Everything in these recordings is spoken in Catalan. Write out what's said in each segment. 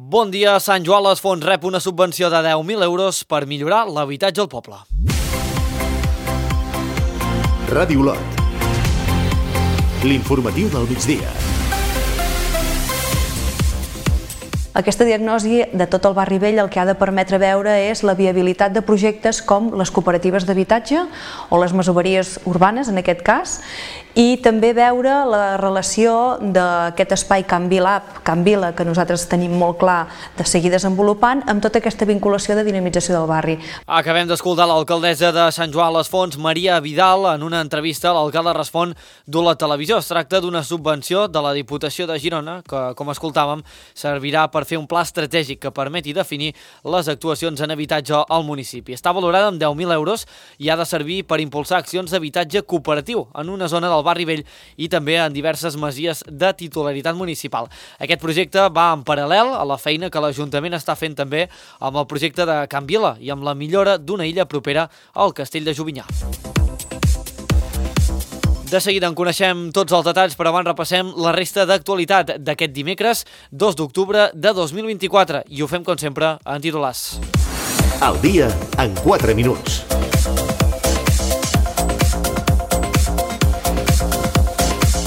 Bon dia. Sant Joan les Fonts rep una subvenció de 10.000 euros per millorar l'habitatge al poble. Ràdio Olot. L'informatiu del migdia. Aquesta diagnosi de tot el barri vell el que ha de permetre veure és la viabilitat de projectes com les cooperatives d'habitatge o les masoveries urbanes, en aquest cas, i també veure la relació d'aquest espai Can Vila, que nosaltres tenim molt clar de seguir desenvolupant, amb tota aquesta vinculació de dinamització del barri. Acabem d'escoltar l'alcaldessa de Sant Joan les Fonts, Maria Vidal, en una entrevista l'alcalde respon d'Olot Televisió. Es tracta d'una subvenció de la Diputació de Girona que, com escoltàvem, servirà per fer un pla estratègic que permeti definir les actuacions en habitatge al municipi. Està valorada amb 10.000 euros i ha de servir per impulsar accions d'habitatge cooperatiu en una zona del barri vell i també en diverses masies de titularitat municipal. Aquest projecte va en paral·lel a la feina que l'Ajuntament està fent també amb el projecte de Can Vila i amb la millora d'una illa propera al Castell de Jovinyà. De seguida en coneixem tots els detalls, però abans repassem la resta d'actualitat d'aquest dimecres 2 d'octubre de 2024 i ho fem com sempre en titulars. Al dia en 4 minuts.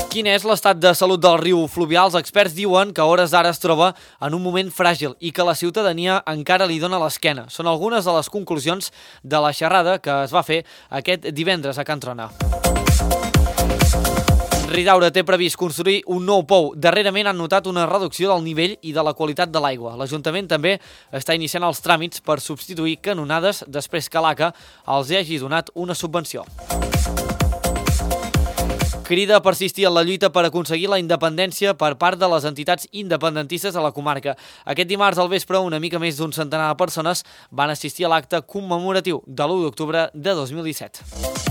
Quin és l'estat de salut del riu Fluvià? Els experts diuen que a hores d'ara es troba en un moment fràgil i que la ciutadania encara li dona l'esquena. Són algunes de les conclusions de la xerrada que es va fer aquest divendres a Can Trona. Ridaura té previst construir un nou pou. Darrerament han notat una reducció del nivell i de la qualitat de l'aigua. L'Ajuntament també està iniciant els tràmits per substituir canonades després que l'ACA els hagi donat una subvenció. Crida a persistir en la lluita per aconseguir la independència per part de les entitats independentistes a la comarca. Aquest dimarts al vespre, una mica més d'un centenar de persones van assistir a l'acte commemoratiu de l'1 d'octubre de 2017.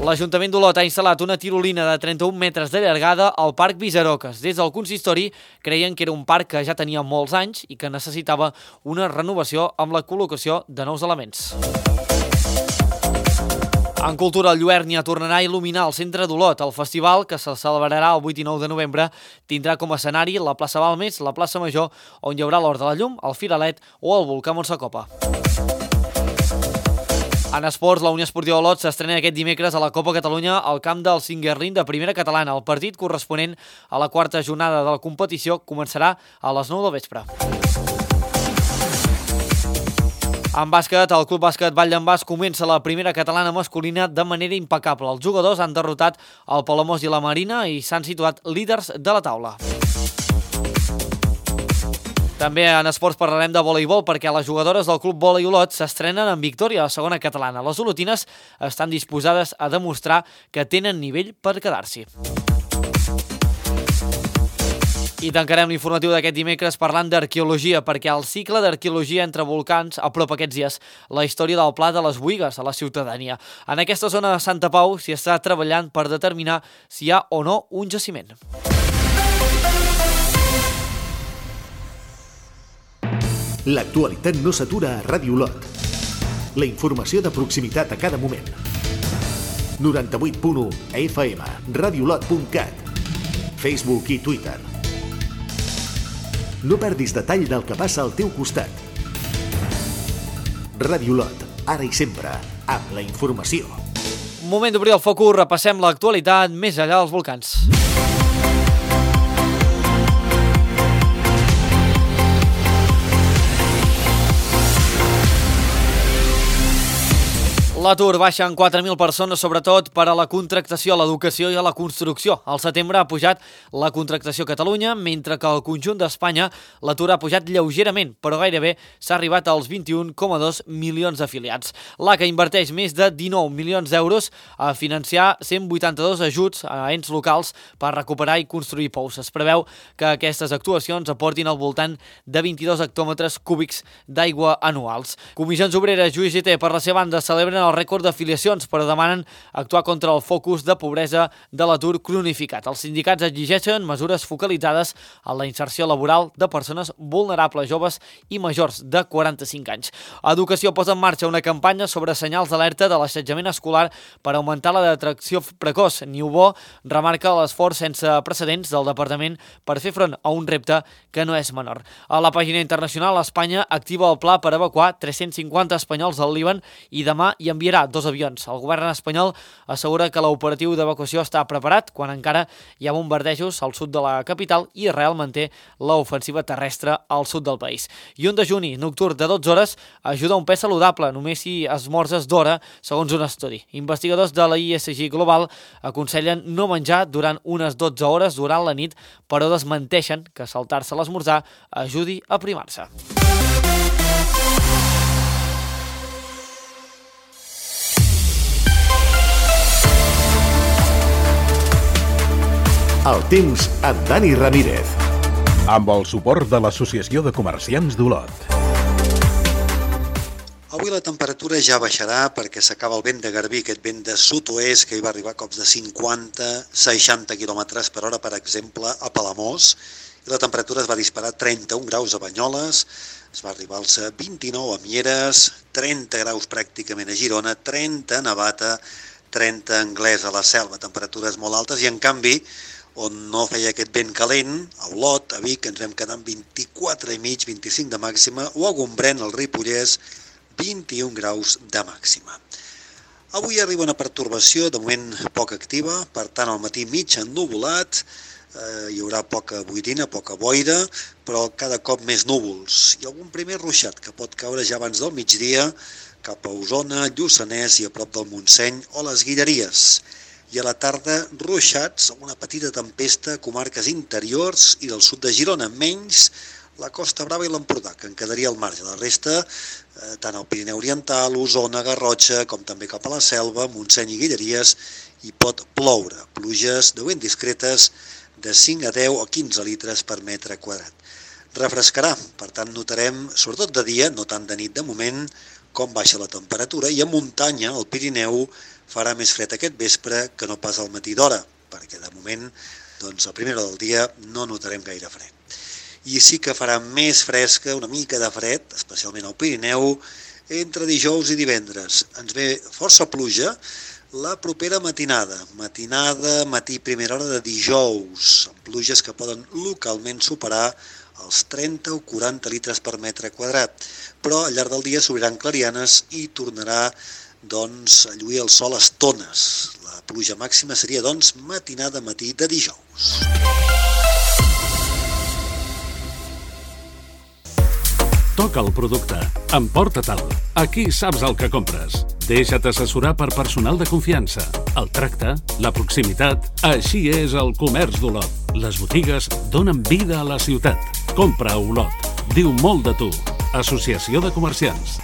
L'Ajuntament d'Olot ha instal·lat una tirolina de 31 metres de llargada al Parc Visaroques. Des del consistori creien que era un parc que ja tenia molts anys i que necessitava una renovació amb la col·locació de nous elements. En cultura, el Lluernia tornarà a il·luminar el centre d'Olot. El festival, que se celebrarà el 8 i 9 de novembre, tindrà com a escenari la plaça Balmes, la plaça Major, on hi haurà l'Hort de la Llum, el Firalet o el volcà Montsacopa. En esports, la Unió Esportiva Olot s'estrena aquest dimecres a la Copa Catalunya al camp del Singuerlín de Primera Catalana. El partit corresponent a la quarta jornada de la competició començarà a les 9 del vespre. En bàsquet, el Club Bàsquet Vall d'en Bas comença la primera catalana masculina de manera impecable. Els jugadors han derrotat el Palamós i la Marina i s'han situat líders de la taula. També en esports parlarem de voleibol perquè les jugadores del Club Volei Olot s'estrenen en victòria a la segona catalana. Les olotines estan disposades a demostrar que tenen nivell per quedar-s'hi. I tancarem l'informatiu d'aquest dimecres parlant d'arqueologia, perquè el cicle d'arqueologia entre volcans apropa aquests dies la història del Pla de les Buïgues a la ciutadania. En aquesta zona de Santa Pau s'hi està treballant per determinar si hi ha o no un jaciment. L'actualitat no s'atura a Ràdio Olot. La informació de proximitat a cada moment. 98.1 FM, radioolot.cat, Facebook i Twitter. No perdis detall del que passa al teu costat. Ràdio Olot, ara i sempre, amb la informació. Moment d'obrir el focus, repassem l'actualitat més enllà dels volcans. L'atur baixa en 4.000 persones, sobretot per a la contractació, a l'educació i a la construcció. Al setembre ha pujat la contractació a Catalunya, mentre que al conjunt d'Espanya l'atur ha pujat lleugerament, però gairebé s'ha arribat als 21,2 milions d'afiliats. L'ACA inverteix més de 19 milions d'euros a financiar 182 ajuts a ens locals per recuperar i construir pous. Es preveu que aquestes actuacions aportin al voltant de 22 hectòmetres cúbics d'aigua anuals. Comissions Obreres i UGT, per la seva banda, celebren el el rècord d'afiliacions, però demanen actuar contra el focus de pobresa de l'atur cronificat. Els sindicats exigeixen mesures focalitzades en la inserció laboral de persones vulnerables, joves i majors de 45 anys. Educació posa en marxa una campanya sobre senyals d'alerta de l'assetjament escolar per augmentar la detecció precoç. Niubó remarca l'esforç sense precedents del departament per fer front a un repte que no és menor. A la pàgina internacional, Espanya activa el pla per evacuar 350 espanyols al Líban i demà hi enviarà 2 avions. El govern espanyol assegura que l'operatiu d'evacuació està preparat quan encara hi ha bombardejos al sud de la capital i Israel manté l'ofensiva terrestre al sud del país. I un dejuni nocturn de 12 hores ajuda a un pes saludable, només si esmorzes d'hora, segons un estudi. Investigadors de la ISG Global aconsellen no menjar durant unes 12 hores durant la nit, però desmenteixen que saltar-se l'esmorzar ajudi a primar-se. El temps amb Dani Ramírez. Amb el suport de l'Associació de Comerciants d'Olot. Avui la temperatura ja baixarà perquè s'acaba el vent de Garbí, aquest vent de sud-oest que hi va arribar a cops de 50-60 km per hora, per exemple, a Palamós. I la temperatura es va disparar a 31 graus a Banyoles, es va arribar als 29 a Mieres, 30 graus pràcticament a Girona, 30 a Navata, 30 a Anglès, a la Selva, temperatures molt altes, i en canvi, on no feia aquest vent calent, a Olot, a Vic, ens vam quedar amb 24,5, 25 de màxima, o a Gombrèn, al Ripollès, 21 graus de màxima. Avui arriba una pertorbació, de moment poc activa, per tant al matí mig ennuvolat, hi haurà poca boirina, poca boira, però cada cop més núvols, i algun primer ruixat que pot caure ja abans del migdia cap a Osona, Lluçanès i a prop del Montseny o les Guilleries. I a la tarda, ruixats, una petita tempesta a comarques interiors i del sud de Girona, menys la Costa Brava i l'Empordà, que en quedaria al marge. La resta, tant al Pirineu Oriental, Osona, Garrotxa, com també cap a la Selva, Montseny i Guilleries, hi pot ploure. Pluges de vent discretes de 5 a 10 o 15 litres per metre quadrat. Refrescarà, per tant notarem, sobretot de dia, no tant de nit de moment, com baixa la temperatura, i a muntanya, al Pirineu, farà més fred aquest vespre que no pas al matí d'hora, perquè de moment, doncs, a primera hora del dia no notarem gaire fred. I sí que farà més fresca, una mica de fred, especialment al Pirineu, entre dijous i divendres. Ens ve força pluja la propera matinada, matí, primera hora de dijous, amb pluges que poden localment superar els 30 o 40 litres per metre quadrat, però al llarg del dia s'obriran clarianes i tornarà a lluir el sol a estones. La pluja màxima seria, matinada matí de dijous. Toca el producte. Emporta-te'l. Aquí saps el que compres. Deixa't assessorar per personal de confiança. El tracte, la proximitat, així és el comerç d'Olot. Les botigues donen vida a la ciutat. Compra a Olot. Diu molt de tu. Associació de Comerciants.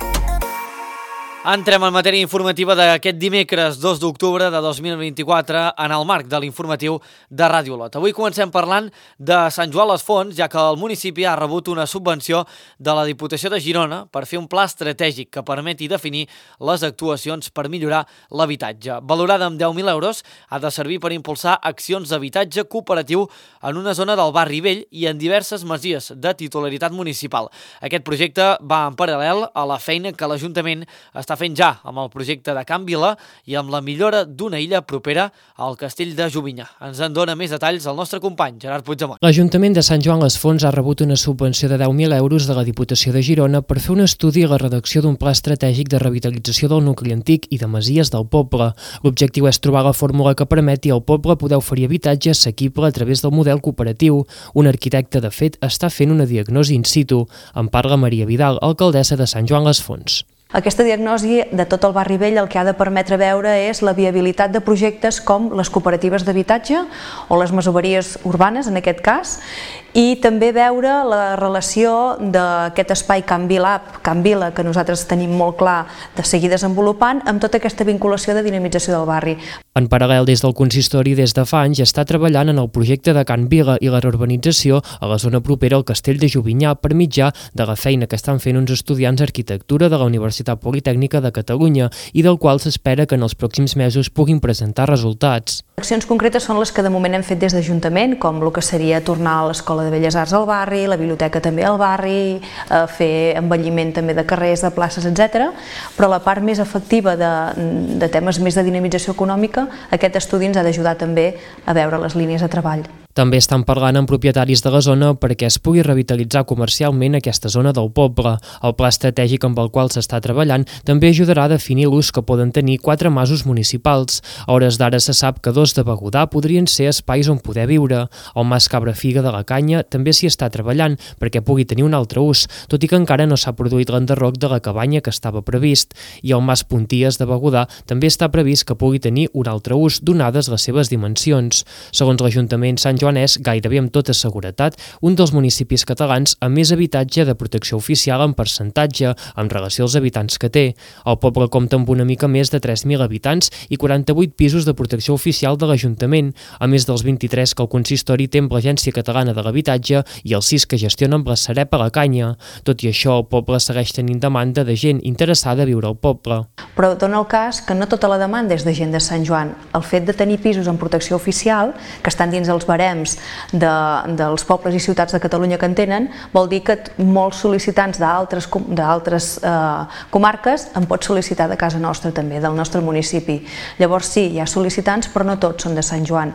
Entrem en matèria informativa d'aquest dimecres 2 d'octubre de 2024 en el marc de l'informatiu de Ràdio Olot. Avui comencem parlant de Sant Joan les Fonts, ja que el municipi ha rebut una subvenció de la Diputació de Girona per fer un pla estratègic que permeti definir les actuacions per millorar l'habitatge. Valorada amb 10.000 euros, ha de servir per impulsar accions d'habitatge cooperatiu en una zona del barri vell i en diverses masies de titularitat municipal. Aquest projecte va en paral·lel a la feina que l'Ajuntament està fent ja amb el projecte de Can Vila i amb la millora d'una illa propera al castell de Jovinyà. Ens en dona més detalls el nostre company, Gerard Puigdemont. L'Ajuntament de Sant Joan les Fonts ha rebut una subvenció de 10.000 euros de la Diputació de Girona per fer un estudi i la redacció d'un pla estratègic de revitalització del nucli antic i de masies del poble. L'objectiu és trobar la fórmula que permeti al poble poder oferir habitatge assequible a través del model cooperatiu. Un arquitecte, de fet, està fent una diagnosi in situ. En parla Maria Vidal, alcaldessa de Sant Joan les Fonts. Aquesta diagnosi de tot el barri vell el que ha de permetre veure és la viabilitat de projectes com les cooperatives d'habitatge o les masoveries urbanes, en aquest cas, i també veure la relació d'aquest espai Can Vila, que nosaltres tenim molt clar de seguir desenvolupant, amb tota aquesta vinculació de dinamització del barri. En paral·lel, des del consistori, des de fa anys, està treballant en el projecte de Can Vila i la reurbanització a la zona propera al castell de Jovinyà per mitjà de la feina que estan fent uns estudiants d'arquitectura de la Universitat Universitat Politècnica de Catalunya i del qual s'espera que en els pròxims mesos puguin presentar resultats. Accions concretes són les que de moment hem fet des d'Ajuntament, com el que seria tornar a l'Escola de Belles Arts al barri, la biblioteca també al barri, fer embelliment també de carrers, de places, etc. Però la part més efectiva de temes més de dinamització econòmica, aquest estudi ens ha d'ajudar també a veure les línies de treball. També estan parlant amb propietaris de la zona perquè es pugui revitalitzar comercialment aquesta zona del poble. El pla estratègic amb el qual s'està treballant també ajudarà a definir l'ús que poden tenir 4 masos municipals. A hores d'ara se sap que 2 de Begudà podrien ser espais on poder viure. El mas Cabrafiga de la Canya també s'hi està treballant perquè pugui tenir un altre ús, tot i que encara no s'ha produït l'enderroc de la cabanya que estava previst. I el mas Punties de Begudà també està previst que pugui tenir un altre ús, donades les seves dimensions. Segons l'Ajuntament Sant Joan és, gairebé amb tota seguretat, un dels municipis catalans amb més habitatge de protecció oficial en percentatge en relació als habitants que té. El poble compta amb una mica més de 3.000 habitants i 48 pisos de protecció oficial de l'Ajuntament, a més dels 23 que el consistori té amb l'Agència Catalana de l'Habitatge i els 6 que gestiona amb la Sareb a la Canya. Tot i això, el poble segueix tenint demanda de gent interessada a viure al poble. Però dona el cas que no tota la demanda és de gent de Sant Joan. El fet de tenir pisos en protecció oficial, que estan dins els barems dels pobles i ciutats de Catalunya que en tenen, vol dir que molts sol·licitants d'altres comarques en pot sol·licitar de casa nostra també, del nostre municipi. Llavors sí, hi ha sol·licitants, però no tots són de Sant Joan.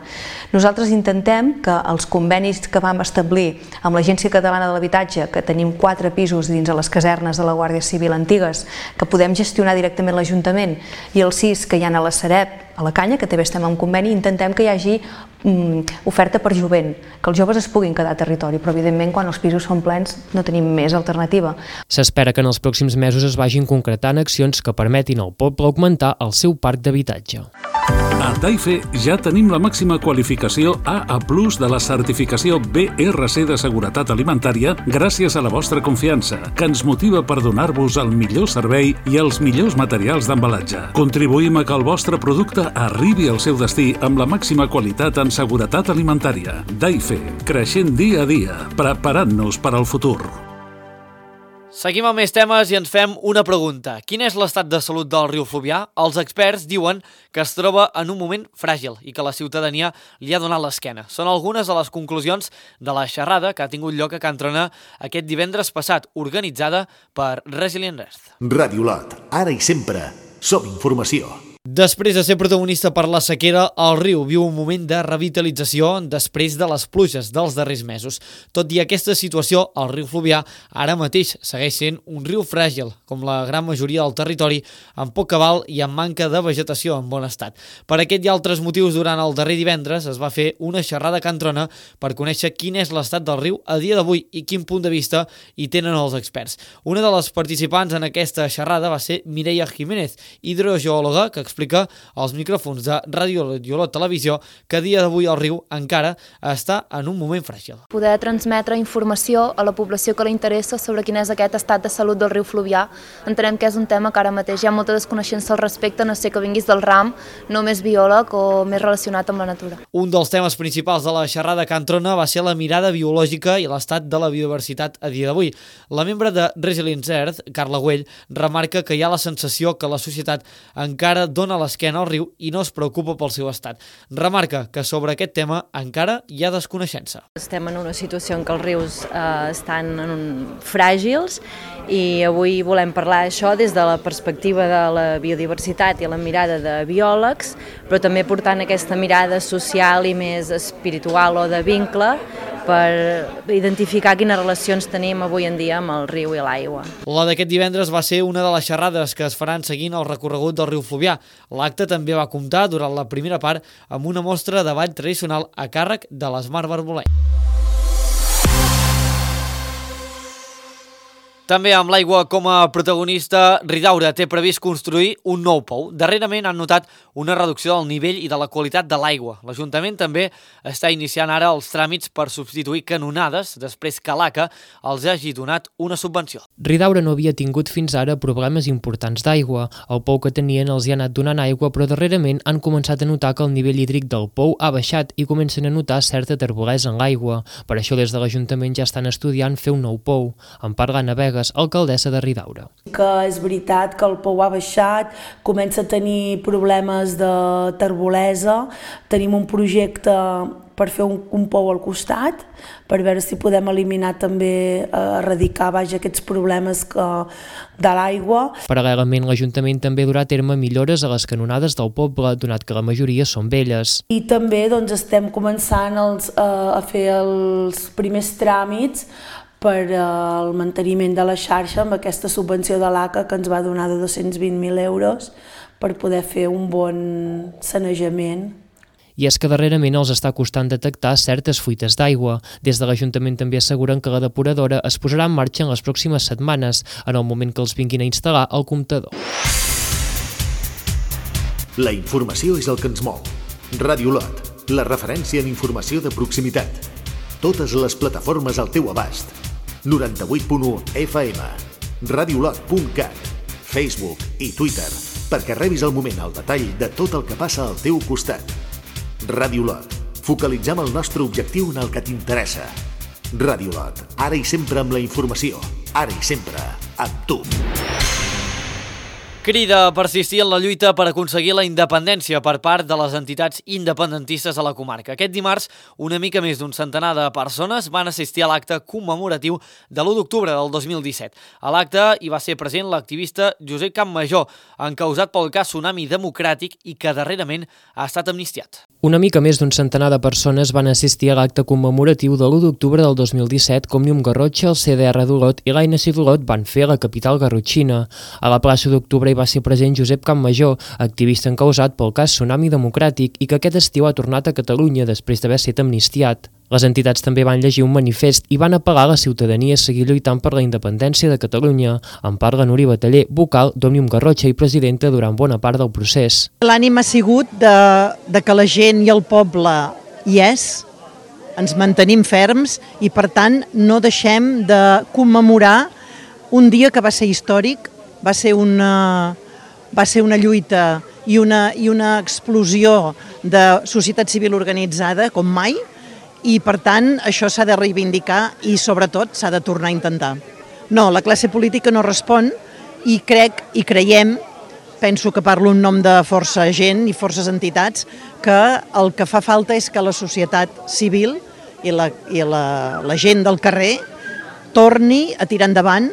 Nosaltres intentem que els convenis que vam establir amb l'Agència Catalana de l'Habitatge, que tenim 4 pisos dins de les casernes de la Guàrdia Civil antigues, que podem gestionar directament l'Ajuntament, i els 6 que hi ha a la Sareb, a la Canya, que també estem en conveni, intentem que hi hagi oferta per jovent, que els joves es puguin quedar a territori, però evidentment quan els pisos són plens no tenim més alternativa. S'espera que en els pròxims mesos es vagin concretant accions que permetin al poble augmentar el seu parc d'habitatge. A Taife ja tenim la màxima qualificació AA+ de la certificació BRC de seguretat alimentària gràcies a la vostra confiança, que ens motiva per donar-vos el millor servei i els millors materials d'embalatge. Contribuïm a que el vostre producte arribi al seu destí amb la màxima qualitat en seguretat alimentària. Taife, creixent dia a dia, preparant-nos per al futur. Seguim amb més temes i ens fem una pregunta. Quin és l'estat de salut del riu Fluvià? Els experts diuen que es troba en un moment fràgil i que la ciutadania li ha donat l'esquena. Són algunes de les conclusions de la xerrada que ha tingut lloc a Can Trona aquest divendres passat, organitzada per Resilient Earth. Ràdio Lot, ara i sempre, som informació. Després de ser protagonista per la sequera, el riu viu un moment de revitalització després de les pluges dels darrers mesos. Tot i aquesta situació, el riu Fluvià ara mateix segueix sent un riu fràgil, com la gran majoria del territori, amb poc cabal i amb manca de vegetació en bon estat. Per aquest i altres motius, durant el darrer divendres es va fer una xerrada a Can Trona per conèixer quin és l'estat del riu a dia d'avui i quin punt de vista hi tenen els experts. Una de les participants en aquesta xerrada va ser Mireia Jiménez, hidrogeòloga, que explica als micròfons de Ràdio Lot Televisió que a dia d'avui el riu encara està en un moment fràgil. Poder transmetre informació a la població que li interessa sobre quin és aquest estat de salut del riu Fluvià. Entenem que és un tema que ara mateix hi ha molta desconeixença al respecte, no sé que vinguis del ram, no més biòleg o més relacionat amb la natura. Un dels temes principals de la xerrada a Can Trona va ser la mirada biològica i l'estat de la biodiversitat a dia d'avui. La membre de Resilient Earth, Carla Güell, remarca que hi ha la sensació que la societat encara dona l'esquena al riu i no es preocupa pel seu estat. Remarca que sobre aquest tema encara hi ha desconeixença. Estem en una situació en què els rius estan fràgils i avui volem parlar d'això des de la perspectiva de la biodiversitat i la mirada de biòlegs, però també portant aquesta mirada social i més espiritual o de vincle per identificar quines relacions tenim avui en dia amb el riu i l'aigua. La d'aquest divendres va ser una de les xerrades que es faran seguint el recorregut del riu Fluvià. L'acte també va comptar durant la primera part amb una mostra de ball tradicional a càrrec de l'Esmar Barboleny. També amb l'aigua com a protagonista, Ridaura té previst construir un nou pou. Darrerament han notat una reducció del nivell i de la qualitat de l'aigua. L'Ajuntament també està iniciant ara els tràmits per substituir canonades després que l'ACA els hagi donat una subvenció. Ridaura no havia tingut fins ara problemes importants d'aigua. El pou que tenien els hi ha anat donant aigua, però darrerament han començat a notar que el nivell hídric del pou ha baixat i comencen a notar certa terbolesa en l'aigua. Per això des de l'Ajuntament ja estan estudiant fer un nou pou. En Parla Navega, Villegas, alcaldessa de Ridaura. Que és veritat que el pou ha baixat, comença a tenir problemes de terbolesa, tenim un projecte per fer un pou al costat, per veure si podem eliminar també, erradicar aquests problemes de l'aigua. Paral·lelament, l'Ajuntament també durà a terme millores a les canonades del poble, donat que la majoria són velles. I també estem començant a fer els primers tràmits per al manteniment de la xarxa amb aquesta subvenció de l'ACA que ens va donar de 220.000 euros per poder fer un bon sanejament. I és que darrerament els està costant detectar certes fuites d'aigua. Des de l'Ajuntament també asseguren que la depuradora es posarà en marxa en les pròximes setmanes, en el moment que els vinguin a instal·lar el comptador. La informació és el que ens mou. Ràdio Lot, la referència en informació de proximitat. Totes les plataformes al teu abast. 98.1 FM, radiolot.cat, Facebook i Twitter, perquè rebis al moment el detall de tot el que passa al teu costat. Ràdio Lot. Focalitzem el nostre objectiu en el que t'interessa. Ràdio Lot. Ara i sempre amb la informació. Ara i sempre amb tu. Crida a persistir en la lluita per aconseguir la independència per part de les entitats independentistes a la comarca. Aquest dimarts, una mica més d'un centenar de persones van assistir a l'acte commemoratiu de l'1 d'octubre del 2017. A l'acte hi va ser present l'activista Josep Campmajor, encausat pel cas Tsunami Democràtic i que darrerament ha estat amnistiat. Una mica més d'un centenar de persones van assistir a l'acte commemoratiu de l'1 d'octubre del 2017 com Òmnium Garrotxa, el CDR d'Olot i l'ANC d'Olot van fer a la capital garrotxina. A la plaça d'Octubre hi va ser present Josep Campmajor, activista encausat pel cas Tsunami Democràtic i que aquest estiu ha tornat a Catalunya després d'haver estat amnistiat. Les entitats també van llegir un manifest i van apel·lar a la ciutadania a seguir lluitant per la independència de Catalunya. En parla Núria Bataller, vocal d'Òmnium Garrotxa i presidenta durant bona part del procés. L'ànim ha sigut de que la gent i el poble hi és, ens mantenim ferms i per tant no deixem de commemorar un dia que va ser històric, va ser una lluita i una explosió de societat civil organitzada com mai, i per tant això s'ha de reivindicar i sobretot s'ha de tornar a intentar. No, la classe política no respon i creiem, penso que parlo en nom de força gent i forces entitats, que el que fa falta és que la societat civil i la gent del carrer torni a tirar endavant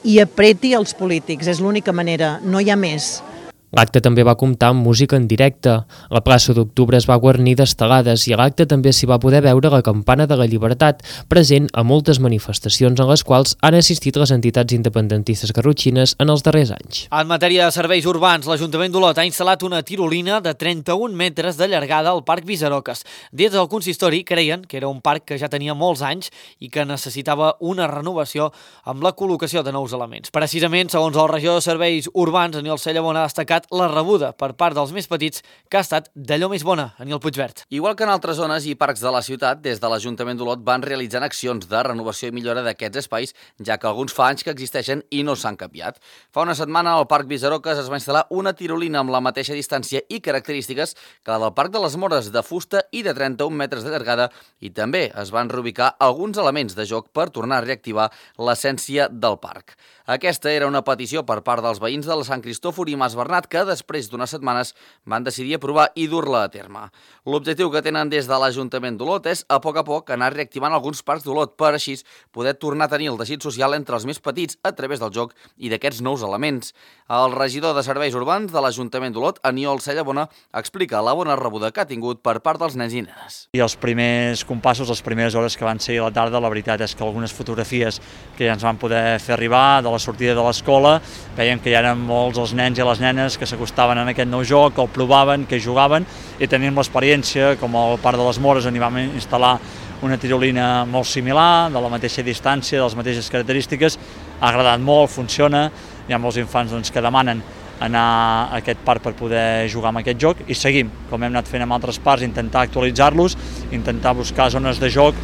i apreti els polítics. És l'única manera, no hi ha més. L'acte també va comptar amb música en directe. La plaça d'Octubre es va guarnir d'estelades i a l'acte també s'hi va poder veure la campana de la llibertat, present a moltes manifestacions en les quals han assistit les entitats independentistes garrotxines en els darrers anys. En matèria de serveis urbans, l'Ajuntament d'Olot ha instal·lat una tirolina de 31 metres de llargada al Parc Visaroques. Des del consistori creien que era un parc que ja tenia molts anys i que necessitava una renovació amb la col·locació de nous elements. Precisament, segons el regidor de Serveis Urbans, Aniol Cellabona, ha destacat la rebuda per part dels més petits que ha estat d'allò més bona, Aniol Puigvert. Igual que en altres zones i parcs de la ciutat, des de l'Ajuntament d'Olot van realitzant accions de renovació i millora d'aquests espais, ja que alguns fa anys que existeixen i no s'han canviat. Fa una setmana al Parc Visaroques es va instal·lar una tirolina amb la mateixa distància i característiques que la del Parc de les Mores, de fusta i de 31 metres de llargada, i també es van reubicar alguns elements de joc per tornar a reactivar l'essència del parc. Aquesta era una petició per part dels veïns de la Sant Cristòfor i Mas Bernat que després d'unes setmanes van decidir aprovar i dur-la a terme. L'objectiu que tenen des de l'Ajuntament d'Olot és a poc anar reactivant alguns parcs d'Olot per així poder tornar a tenir el teixit social entre els més petits a través del joc i d'aquests nous elements. El regidor de Serveis Urbans de l'Ajuntament d'Olot, Aniol Cellabona, explica la bona rebuda que ha tingut per part dels nens i nenes. I els primers compassos, les primeres hores que van ser a la tarda, la veritat és que algunes fotografies que ja ens van poder fer arribar de la sortida de l'escola, veiem que hi eren molts els nens i les nenes que s'acostaven en aquest nou joc, que el provaven, que jugaven, i tenim l'experiència, com al Parc de les Mores, on hi vam instal·lar una tirolina molt similar, de la mateixa distància, de les mateixes característiques, ha agradat molt, funciona, hi ha molts infants que demanen anar a aquest parc per poder jugar amb aquest joc i seguim, com hem anat fent amb altres parcs, intentar actualitzar-los, intentar buscar zones de joc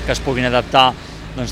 que es puguin adaptar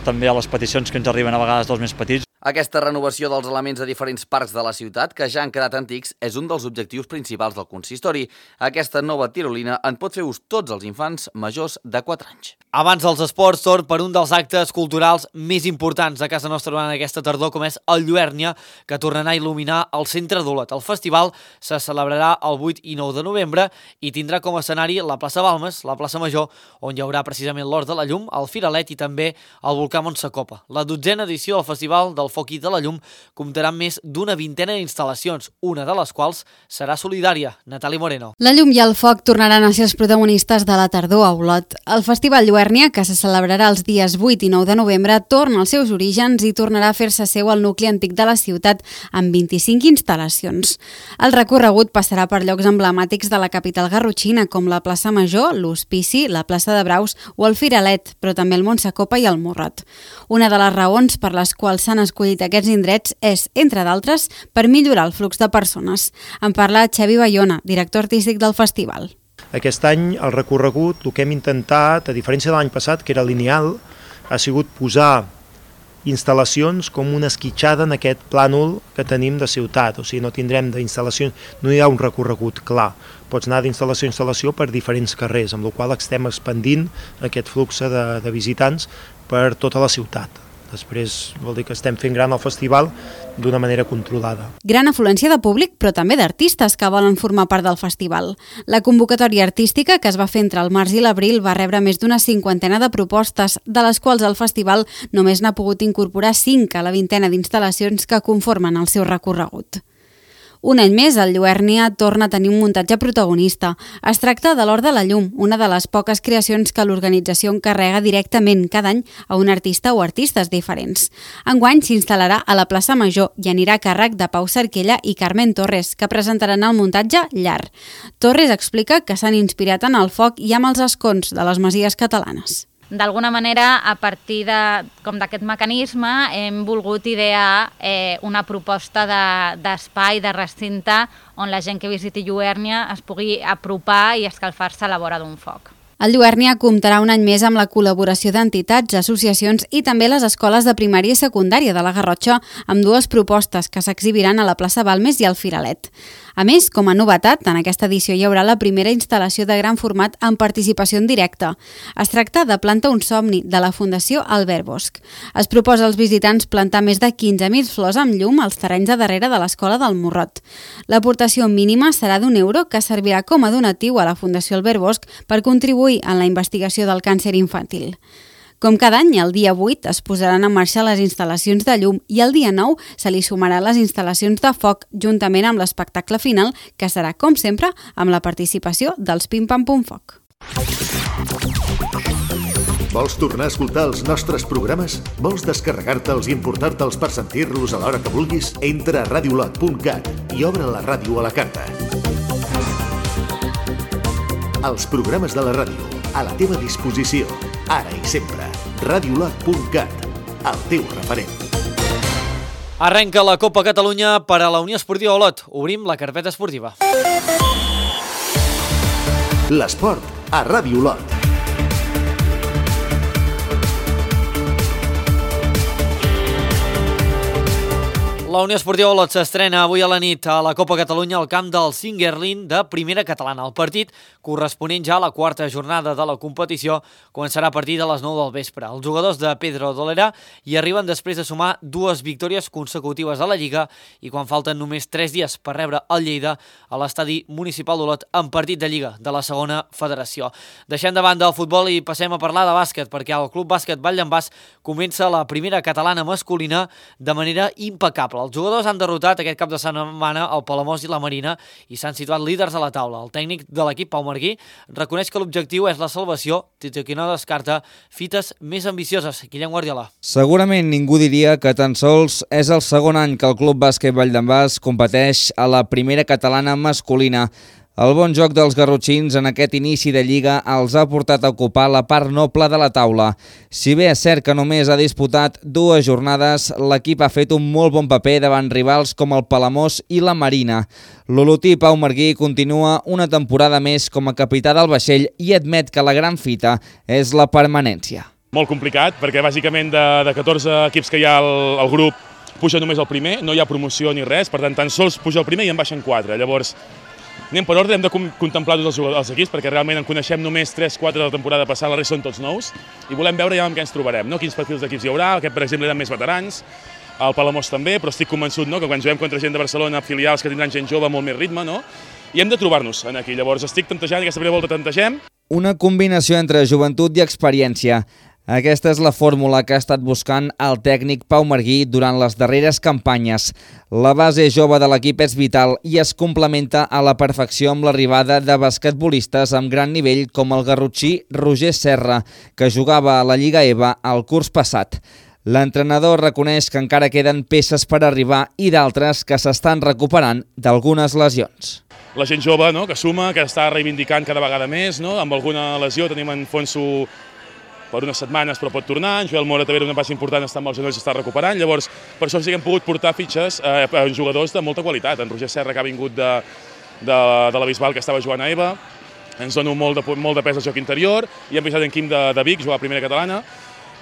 també a les peticions que ens arriben a vegades dels més petits. Aquesta renovació dels elements de diferents parcs de la ciutat, que ja han quedat antics, és un dels objectius principals del consistori. Aquesta nova tirolina en pot fer ús tots els infants majors de 4 anys. Abans dels esports, torn per un dels actes culturals més importants de casa nostra durant aquesta tardor, com és el Lluèrnia, que tornarà a il·luminar el centre d'Olot. El festival se celebrarà el 8 i 9 de novembre i tindrà com a escenari la plaça Balmes, la plaça Major, on hi haurà precisament l'Hort de la Llum, el Firalet i també el volcà Montsacopa. La 12a edició del Festival del Foc i de la Llum comptarà amb més d'una vintena d'instal·lacions, una de les quals serà solidària. Natàlia Moreno. La llum i el foc tornaran a ser els protagonistes de la tardor a Olot. El Festival Lluèrnia, que se celebrarà els dies 8 i 9 de novembre, torna als seus orígens i tornarà a fer-se seu al nucli antic de la ciutat amb 25 instal·lacions. El recorregut passarà per llocs emblemàtics de la capital garrotxina, com la plaça Major, l'Hospici, la plaça de Braus o el Firalet, però també el Montsacopa i el Morrot. Una de les raons per les quals s'han escollit aquests indrets és, entre d'altres, per millorar el flux de persones. En parla Xavi Bayona, director artístic del festival. Aquest any el recorregut, el que hem intentat, a diferència de l'any passat, que era lineal, ha sigut posar instal·lacions com una esquitxada en aquest plànol que tenim de ciutat, o sigui, no tindrem d'instal·lacions, no hi ha un recorregut clar, pots anar d'instal·lació a instal·lació per diferents carrers, amb la qual cosa estem expandint aquest flux de visitants per tota la ciutat. Després vol dir que estem fent gran el festival d'una manera controlada. Gran afluència de públic, però també d'artistes que volen formar part del festival. La convocatòria artística, que es va fer entre el març i l'abril, va rebre més d'una 50 de propostes, de les quals el festival només n'ha pogut incorporar 5 a la 20 d'instal·lacions que conformen el seu recorregut. Un any més, el Lluèrnia torna a tenir un muntatge protagonista. Es tracta de l'Hort de la Llum, una de les poques creacions que l'organització encarrega directament cada any a un artista o artistes diferents. Enguany s'instal·larà a la plaça Major i anirà a càrrec de Pau Cerquella i Carmen Torres, que presentaran el muntatge Llar. Torres explica que s'han inspirat en el foc i amb els escons de les masies catalanes. D'alguna manera, a partir d'aquest mecanisme, hem volgut idear una proposta d'espai, de recinte, on la gent que visiti Lluèrnia es pugui apropar i escalfar-se a la vora d'un foc. El Lluèrnia comptarà un any més amb la col·laboració d'entitats, associacions i també les escoles de primària i secundària de la Garrotxa, amb 2 propostes que s'exhibiran a la plaça Balmes i al Firalet. A més, com a novetat, en aquesta edició hi haurà la primera instal·lació de gran format amb participació en directe. Es tracta de Planta un somni, de la Fundació Albert Bosch. Es proposa als visitants plantar més de 15.000 flors amb llum als terrenys de darrere de l'Escola del Morrot. L'aportació mínima serà d'€1 que servirà com a donatiu a la Fundació Albert Bosch per contribuir en la investigació del càncer infantil. Com cada any, el dia 8 es posaran en marxa les instal·lacions de llum i el dia 9 se li sumaran les instal·lacions de foc juntament amb l'espectacle final, que serà, com sempre, amb la participació dels Pim Pam Pum Foc. Vols tornar a escoltar els nostres programes? Vols descarregar-te'ls i importar-te'ls per sentir-los a l'hora que vulguis? Entra a radiolot.cat i obre la ràdio a la carta. Els programes de la ràdio, a la teva disposició, ara i sempre. Radiolot.cat, el teu referent. Arrenca la Copa Catalunya per a la Unió Esportiva Olot. Obrim la carpeta esportiva. L'esport a Ràdio Olot. La Unió Esportiva Olot s'estrena avui a la nit a la Copa Catalunya al camp del Singuerlín de Primera Catalana. El partit, corresponent ja a la 4a jornada de la competició, començarà a partir de les 9 del vespre. Els jugadors de Pedro Dolera hi arriben després de sumar 2 victòries consecutives a la Lliga i quan falten només 3 dies per rebre el Lleida a l'estadi municipal d'Olot en partit de Lliga de la segona federació. Deixem de banda el futbol i passem a parlar de bàsquet, perquè el Club Bàsquet Vall d'en Bas comença la Primera Catalana masculina de manera impecable. Els jugadors han derrotat aquest cap de setmana el Palamós i la Marina i s'han situat líders a la taula. El tècnic de l'equip, Pau Marguí, reconeix que l'objectiu és la salvació, tot i que no descarta fites més ambicioses. Guillem Guardiola. Segurament ningú diria que tan sols és el segon any que el Club Bàsquet Vall d'en Bas competeix a la Primera Catalana masculina. El bon joc dels garrotxins en aquest inici de Lliga els ha portat a ocupar la part noble de la taula. Si bé és cert que només ha disputat 2 jornades, l'equip ha fet un molt bon paper davant rivals com el Palamós i la Marina. L'olotí Pau Marguí continua una temporada més com a capità del vaixell i admet que la gran fita és la permanència. Molt complicat, perquè bàsicament de 14 equips que hi ha al grup, puja només el primer, no hi ha promoció ni res, per tant, tan sols puja el primer i en baixen 4. Llavors, anem per ordre, hem de contemplar tots els equips, perquè realment en coneixem només 3-4 de la temporada passada, la resta són tots nous, i volem veure ja amb què ens trobarem, no? Quins perfils d'equips hi haurà, aquest, per exemple, eren més veterans, el Palamós també, però estic convençut, no?, que quan juguem contra gent de Barcelona, filials que tindran gent jove, molt més ritme, no?, i hem de trobar-nos aquí. Llavors, estic tantejant, aquesta primera volta tantegem. Una combinació entre joventut i experiència. Aquesta és la fórmula que ha estat buscant el tècnic Pau Marguí durant les darreres campanyes. La base jove de l'equip és vital i es complementa a la perfecció amb l'arribada de basquetbolistes amb gran nivell com el garrotxí Roger Serra, que jugava a la Lliga EVA el curs passat. L'entrenador reconeix que encara queden peces per arribar i d'altres que s'estan recuperant d'algunes lesions. La gent jove, no?, que suma, que està reivindicant cada vegada més, no?, amb alguna lesió. Tenim en Fonso per unes setmanes, però pot tornar. En Joel Mora també era una baixa important, està amb els genolls i està recuperant. Llavors, per això sí que hem pogut portar fitxes a jugadors de molta qualitat. En Roger Serra, que ha vingut de la Bisbal, que estava jugant a EVA, ens dona molt de pes al joc interior, i hem visat en Quim de Vic, jugar a primera catalana,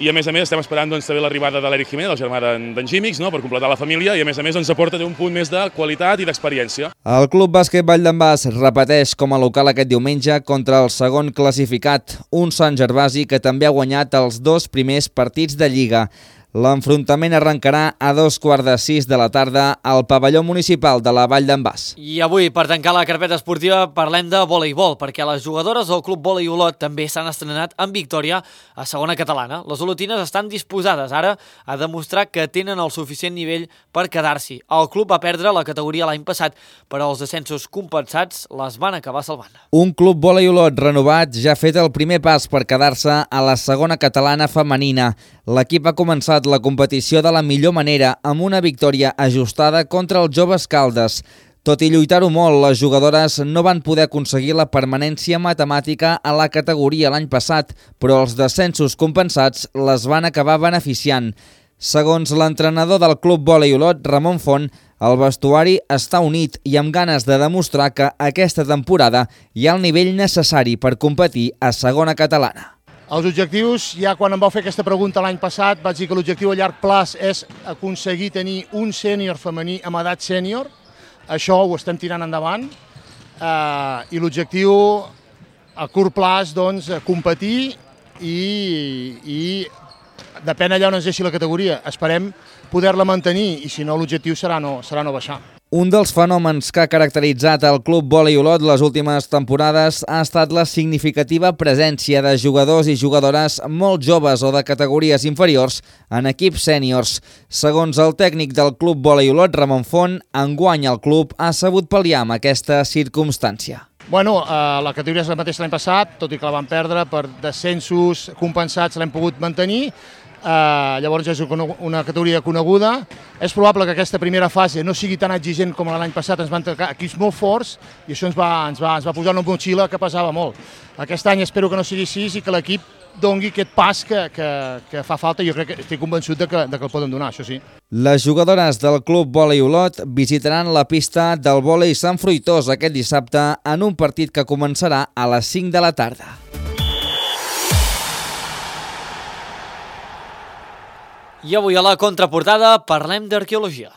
i a més estem esperant també l'arribada de l'Eric Jiménez, el germà d'en Gímix, per completar la família, i a més ens aporta un punt més de qualitat i d'experiència. El Club Bàsquet Vall d'en Bas repeteix com a local aquest diumenge contra el segon classificat, un Sant Gervasi que també ha guanyat els 2 primers partits de Lliga. L'enfrontament arrencarà a 5:15 de la tarda al pavelló municipal de la Vall d'en Bas. I avui, per tancar la carpeta esportiva, parlem de voleibol, perquè les jugadores del Club Volei Olot també s'han estrenat en victòria a segona catalana. Les olotines estan disposades ara a demostrar que tenen el suficient nivell per quedar-s'hi. El club va perdre la categoria l'any passat, però els descensos compensats les van acabar salvant. Un Club Volei Olot renovat ja ha fet el primer pas per quedar-se a la segona catalana femenina. L'equip ha començat la competició de la millor manera amb una victòria ajustada contra els Joves Caldes. Tot i lluitar-ho molt, les jugadores no van poder aconseguir la permanència matemàtica a la categoria l'any passat, però els descensos compensats les van acabar beneficiant. Segons l'entrenador del Club Volei Olot, Ramon Font, el vestuari està unit i amb ganes de demostrar que aquesta temporada hi ha el nivell necessari per competir a segona catalana. Els objectius, ja quan em vau fer aquesta pregunta l'any passat, vaig dir que l'objectiu a llarg plaç és aconseguir tenir un sènior femení amb edat sènior. Això ho estem tirant endavant. I l'objectiu a curt plaç, doncs, competir i depèn allà on ens deixi la categoria. Esperem poder-la mantenir i si no l'objectiu serà no baixar. Un dels fenòmens que ha caracteritzat el Club Volei Olot les últimes temporades ha estat la significativa presència de jugadors i jugadores molt joves o de categories inferiors en equips sèniors. Segons el tècnic del Club Volei Olot, Ramon Font, enguany el club ha sabut pal·liar amb aquesta circumstància. Bueno, la categoria és la mateixa l'any passat, tot i que la vam perdre per descensos compensats l'hem pogut mantenir. Llavors és una categoria coneguda. És probable que aquesta primera fase no sigui tan exigent com l'any passat, ens van tocar equips molt forts i això ens va posar una motxilla que pesava molt. Aquest any espero que no sigui així i que l'equip doni aquest pas que fa falta i jo crec que estic convençut de que el poden donar, això sí. Les jugadores del Club Volei Olot visitaran la pista del vòlei Sant Fruitós aquest dissabte en un partit que començarà a les 5 de la tarda. I avui a la contraportada parlem d'arqueologia.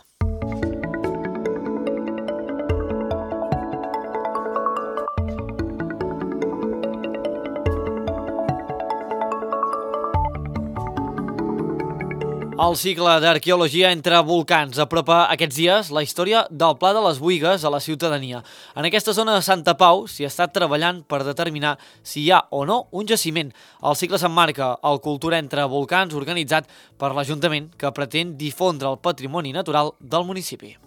El cicle d'arqueologia entre volcans apropa aquests dies la història del Pla de les Buïgues a la ciutadania. En aquesta zona de Santa Pau s'hi està treballant per determinar si hi ha o no un jaciment. El cicle s'emmarca al Cultura entre volcans organitzat per l'Ajuntament que pretén difondre el patrimoni natural del municipi.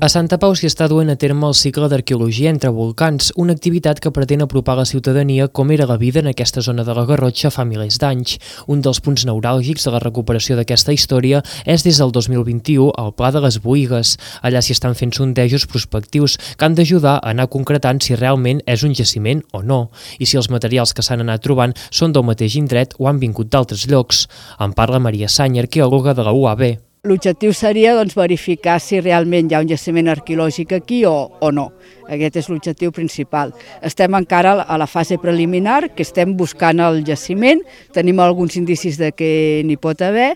A Santa Pau s'hi està duent a terme el cicle d'arqueologia entre volcans, una activitat que pretén apropar a la ciutadania com era la vida en aquesta zona de la Garrotxa fa milers d'anys. Un dels punts neuràlgics de la recuperació d'aquesta història és des del 2021 el Pla de les Buïgues. Allà s'hi estan fent sondejos prospectius que han d'ajudar a anar concretant si realment és un jaciment o no, i si els materials que s'han anat trobant són del mateix indret o han vingut d'altres llocs. En parla Maria Sany, arqueòloga de la UAB. L'objectiu seria verificar si realment hi ha un jaciment arqueològic aquí o no. Aquest és l'objectiu principal. Estem encara a la fase preliminar, que estem buscant el jaciment, tenim alguns indicis de que n'hi pot haver,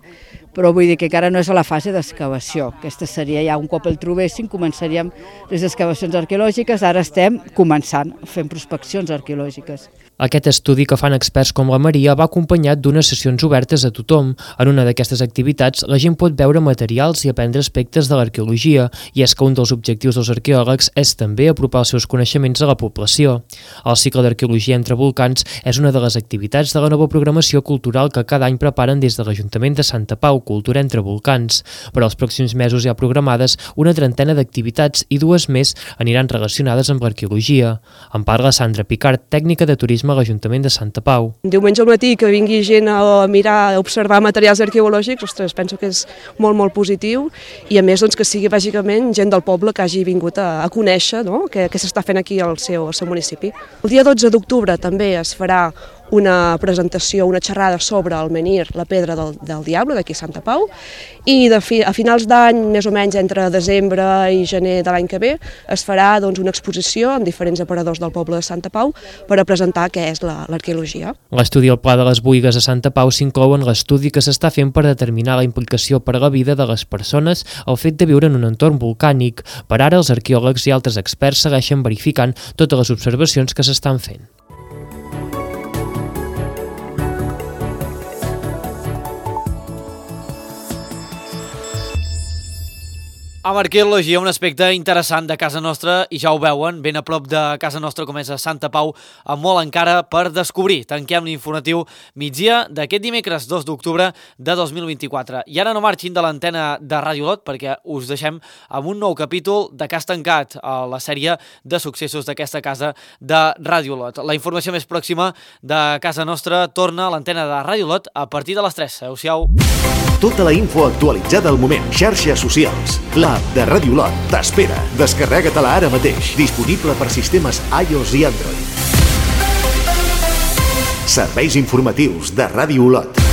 però vull dir que encara no és a la fase d'excavació. Aquesta seria ja un cop el trobéssim, començaríem les excavacions arqueològiques, ara estem començant, fent prospeccions arqueològiques. Aquest estudi que fan experts com la Maria va acompanyat d'unes sessions obertes a tothom. En una d'aquestes activitats la gent pot veure materials i aprendre aspectes de l'arqueologia, i és que un dels objectius dels arqueòlegs és també apropar els seus coneixements a la població. El cicle d'arqueologia entre volcans és una de les activitats de la nova programació cultural que cada any preparen des de l'Ajuntament de Santa Pau, Cultura entre volcans. Per als pròxims mesos hi ha programades una trentena d'activitats i 2 més aniran relacionades amb l'arqueologia. En parla Sandra Picard, tècnica de turisme a l'Ajuntament de Santa Pau. Diumenge al matí que vingui gent a mirar, a observar materials arqueològics, ostres, penso que és molt, molt positiu, i a més que sigui bàsicament gent del poble que hagi vingut a conèixer què s'està fent aquí al seu municipi. El dia 12 d'octubre també es farà una presentació, una xerrada sobre el menhir, la pedra del Diable, d'aquí a Santa Pau, i a finals d'any, més o menys entre desembre i gener de l'any que ve, es farà una exposició amb diferents aparadors del poble de Santa Pau per a presentar què és l'arqueologia. L'estudi al Pla de les Boigues a Santa Pau s'inclou en l'estudi que s'està fent per determinar la implicació per a la vida de les persones el fet de viure en un entorn volcànic. Per ara, els arqueòlegs i altres experts segueixen verificant totes les observacions que s'estan fent. Amb arqueologia, un aspecte interessant de casa nostra, i ja ho veuen, ben a prop de casa nostra com és a Santa Pau, amb molt encara per descobrir. Tanquem l'informatiu migdia d'aquest dimecres 2 d'octubre de 2024. I ara no marxin de l'antena de Ràdio Lot, perquè us deixem amb un nou capítol de Cas Tancat, a la sèrie de successos d'aquesta casa de Ràdio Lot. La informació més pròxima de casa nostra torna a l'antena de Ràdio Lot a partir de les 3. Adéu-siau. Tota la info actualitzada al moment. Xarxes socials. L'app de Ràdio Lot t'espera. Descarrega-te-la ara mateix. Disponible per sistemes iOS i Android. Serveis informatius de Ràdio Lot.